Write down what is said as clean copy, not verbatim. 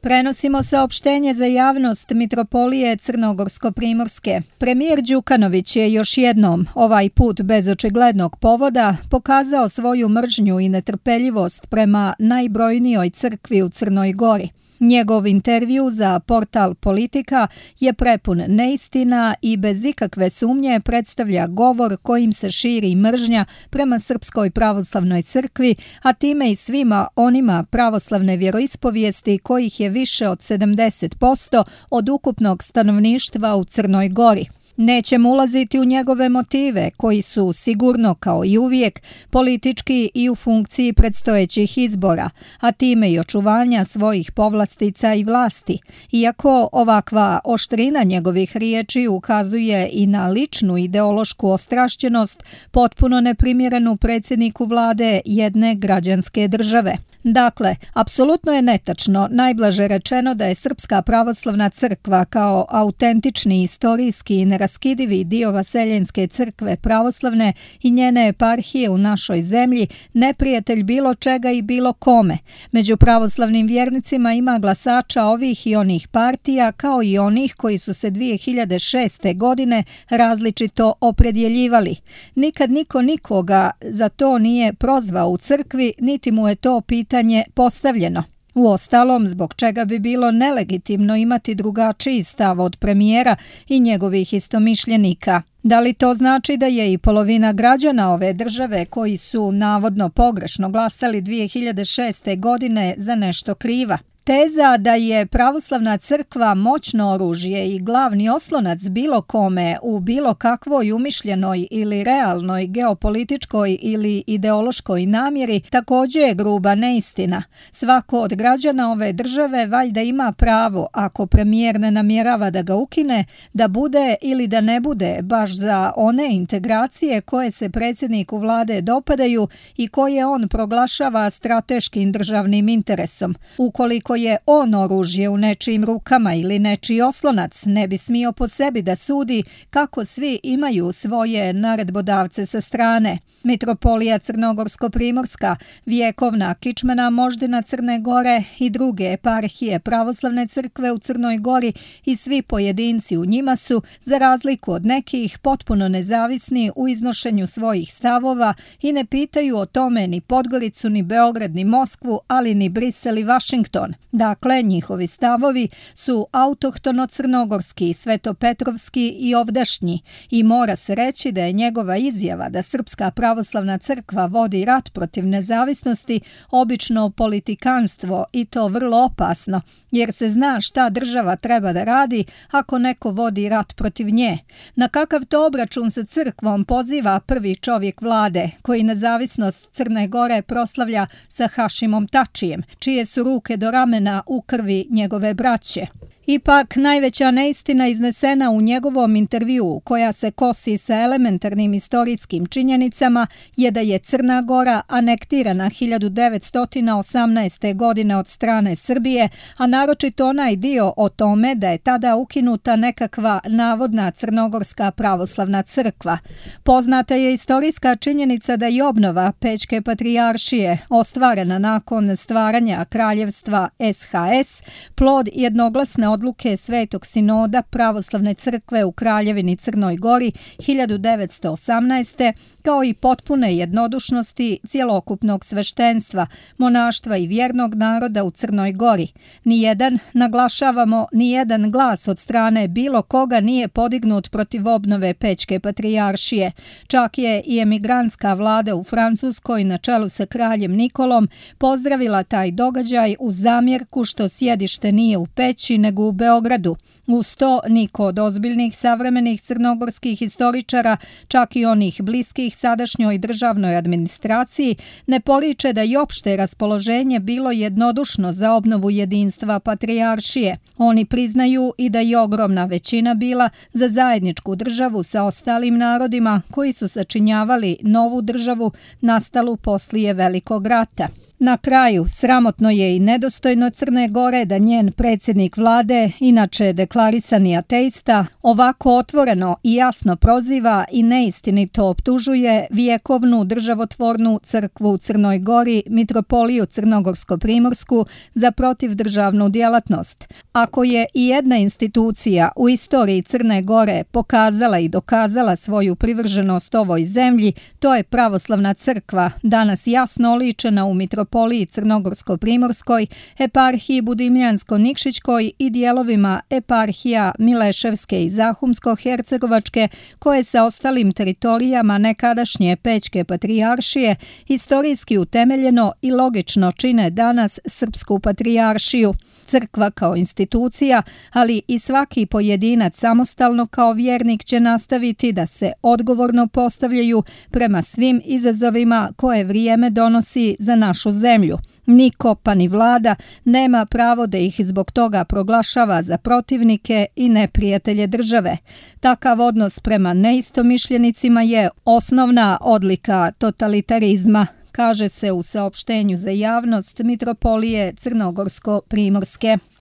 Prenosimo saopštenje za javnost Mitropolije Crnogorsko-Primorske. Premijer Đukanović je još jednom, ovaj put bez očiglednog povoda, pokazao svoju mržnju i netrpeljivost prema najbrojnijoj crkvi u Crnoj Gori. Njegov intervju za portal Politika je prepun neistina i bez ikakve sumnje predstavlja govor kojim se širi mržnja prema Srpskoj pravoslavnoj crkvi, a time i svima onima pravoslavne vjeroispovijesti kojih je više od 70% od ukupnog stanovništva u Crnoj Gori. Nećemo ulaziti u njegove motive, koji su sigurno kao i uvijek politički i u funkciji predstojećih izbora, a time i očuvanja svojih povlastica i vlasti, iako ovakva oštrina njegovih riječi ukazuje i na ličnu ideološku ostrašćenost potpuno neprimjerenu predsjedniku vlade jedne građanske države. Dakle, apsolutno je netačno, najblaže rečeno, da je Srpska pravoslavna crkva kao autentični istorijski i neraskidivi dio Vaseljenske crkve pravoslavne i njene eparhije u našoj zemlji neprijatelj bilo čega i bilo kome. Među pravoslavnim vjernicima ima glasača ovih i onih partija, kao i onih koji su se 2006. godine različito opredjeljivali. Nikad niko nikoga za to nije prozvao u crkvi, niti mu je to pitanje postavljeno. Uostalom, zbog čega bi bilo nelegitimno imati drugačiji stav od premijera i njegovih istomišljenika? Da li to znači da je i polovina građana ove države koji su navodno pogrešno glasali 2006. godine za nešto kriva? Teza da je pravoslavna crkva moćno oružje i glavni oslonac bilo kome u bilo kakvoj umišljenoj ili realnoj geopolitičkoj ili ideološkoj namjeri također je gruba neistina. Svako od građana ove države valjda ima pravo, ako premijer ne namjerava da ga ukine, da bude ili da ne bude baš za one integracije koje se predsjedniku vlade dopadaju i koje on proglašava strateškim državnim interesom. Ukoliko je on oružje u nečijim rukama ili nečiji oslonac, ne bi smio po sebi da sudi kako svi imaju svoje naredbodavce sa strane. Mitropolija Crnogorsko-Primorska, vjekovna kičmena moždina Crne Gore i druge eparhije pravoslavne crkve u Crnoj Gori i svi pojedinci u njima su, za razliku od nekih, potpuno nezavisni u iznošenju svojih stavova i ne pitaju o tome ni Podgoricu, ni Beograd, ni Moskvu, ali ni Brisel i Vašington. Dakle, njihovi stavovi su autohtono-crnogorski, svetopetrovski i ovdašnji i mora se reći da je njegova izjava da Srpska pravoslavna crkva vodi rat protiv nezavisnosti obično politikanstvo i to vrlo opasno, jer se zna šta država treba da radi ako neko vodi rat protiv nje. Na kakav to obračun sa crkvom poziva prvi čovjek vlade, koji nezavisnost Crne Gore proslavlja sa Hašimom Tačijem, čije su ruke do ramena u krvi njegove braće. Ipak, najveća neistina iznesena u njegovom intervjuu, koja se kosi sa elementarnim istorijskim činjenicama, je da je Crna Gora anektirana 1918. godine od strane Srbije, a naročito onaj dio o tome da je tada ukinuta nekakva navodna Crnogorska pravoslavna crkva. Poznata je istorijska činjenica da je obnova Pećke patrijaršije, ostvarena nakon stvaranja kraljevstva SHS, plod jednoglasne odluke Svetog sinoda pravoslavne crkve u Kraljevini Crnoj Gori 1918. kao i potpune jednodušnosti cjelokupnog sveštenstva, monaštva i vjernog naroda u Crnoj Gori. Nijedan glas od strane bilo koga nije podignut protiv obnove Pećke patrijaršije. Čak je i emigrantska vlada u Francuskoj na čelu sa kraljem Nikolom pozdravila taj događaj uz zamjerku što sjedište nije u Peći nego u Beogradu. Uz to niko od ozbiljnih savremenih crnogorskih historičara, čak i onih bliskih sadašnjoj državnoj administraciji, ne poriče da je opšte raspoloženje bilo jednodušno za obnovu jedinstva patrijaršije. Oni priznaju i da je ogromna većina bila za zajedničku državu sa ostalim narodima koji su sačinjavali novu državu nastalu poslije Velikog rata. Na kraju, sramotno je i nedostojno Crne Gore da njen predsjednik vlade, inače deklarisani ateista, ovako otvoreno i jasno proziva i neistinito optužuje vjekovnu državotvornu crkvu u Crnoj Gori, Mitropoliju Crnogorsko-primorsku, za protivdržavnu djelatnost. Ako je i jedna institucija u istoriji Crne Gore pokazala i dokazala svoju privrženost ovoj zemlji, to je Pravoslavna crkva, danas jasno oličena u Mitropoliji Crnogorsko-primorskoj, eparhiji Budimljansko-Nikšićkoj i dijelovima eparhija Mileševske i Zahumsko-hercegovačke, koje sa ostalim teritorijama nekadašnje Pećke patrijaršije historijski utemeljeno i logično čine danas Srpsku patrijaršiju. Crkva kao institucija, ali i svaki pojedinac samostalno kao vjernik će nastaviti da se odgovorno postavljaju prema svim izazovima koje vrijeme donosi za našu zemlju. Niko, pa ni vlada, nema pravo da ih zbog toga proglašava za protivnike i neprijatelje države. Takav odnos prema neistomišljenicima je osnovna odlika totalitarizma, kaže se u saopštenju za javnost Mitropolije Crnogorsko-primorske.